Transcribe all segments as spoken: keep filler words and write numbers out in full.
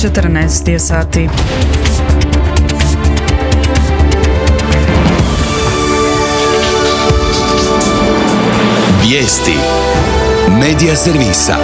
četrnaest je sati. Vijesti Medija servisa.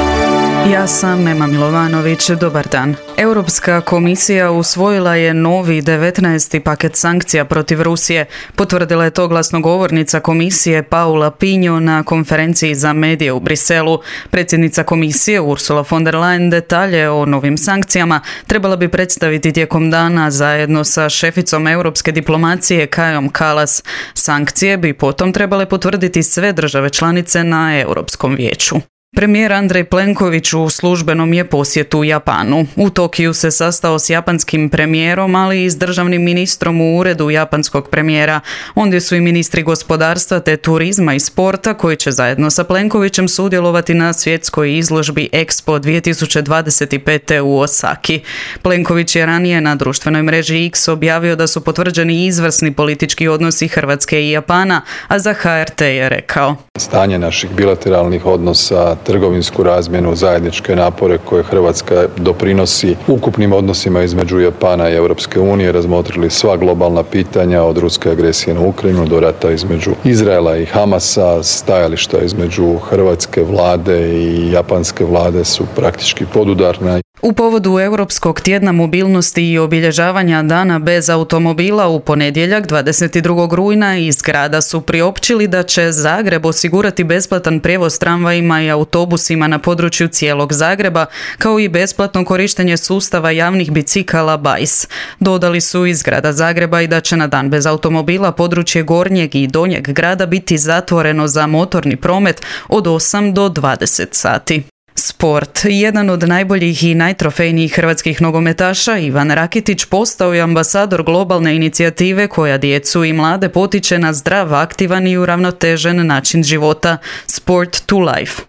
Ja sam Ema Milovanović, dobar dan. Europska komisija usvojila je novi devetnaesti paket sankcija protiv Rusije. Potvrdila je to glasnogovornica komisije Paula Pinho na konferenciji za medije u Briselu. Predsjednica komisije Ursula von der Leyen detalje o novim sankcijama trebala bi predstaviti tijekom dana zajedno sa šeficom europske diplomacije Kajom Kallas. Sankcije bi potom trebale potvrditi sve države članice na Europskom vijeću. Premijer Andrej Plenković u službenom je posjetu u Japanu. U Tokiju se sastao s japanskim premijerom, ali i s državnim ministrom u uredu japanskog premijera. Ondje su i ministri gospodarstva te turizma i sporta koji će zajedno sa Plenkovićem sudjelovati na svjetskoj izložbi Expo dvije tisuće dvadeset pet. u Osaki. Plenković je ranije na društvenoj mreži X objavio da su potvrđeni izvrsni politički odnosi Hrvatske i Japana, a za H R T je rekao: Stanje naših bilateralnih odnosa, trgovinsku razmjenu, zajedničke napore koje Hrvatska doprinosi ukupnim odnosima između Japana i Europske unije, razmotrili sva globalna pitanja od ruske agresije na Ukrajinu do rata između Izraela i Hamasa. Stajališta između hrvatske vlade i japanske vlade su praktički podudarna. U povodu Europskog tjedna mobilnosti i obilježavanja dana bez automobila u ponedjeljak dvadeset drugog rujna iz grada su priopćili da će Zagreb osigurati besplatan prijevoz tramvajima i autobusima na području cijelog Zagreba, kao i besplatno korištenje sustava javnih bicikala B A I S. Dodali su iz grada Zagreba i da će na dan bez automobila područje gornjeg i donjeg grada biti zatvoreno za motorni promet od osam do dvadeset sati. Sport. Jedan od najboljih i najtrofejnijih hrvatskih nogometaša, Ivan Rakitić, postao je ambasador globalne inicijative koja djecu i mlade potiče na zdrav, aktivan i uravnotežen način života. Sport to life.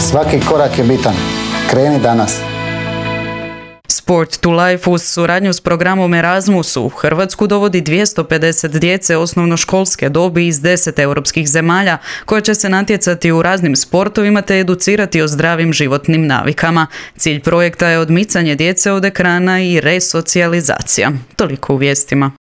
Svaki korak je bitan. Kreni danas. Sport to Life uz suradnju s programom Erasmus u Hrvatsku dovodi dvjesto pedeset djece osnovnoškolske dobi iz deset europskih zemalja koja će se natjecati u raznim sportovima te educirati o zdravim životnim navikama. Cilj projekta je odmicanje djece od ekrana i resocijalizacija. Toliko u vijestima.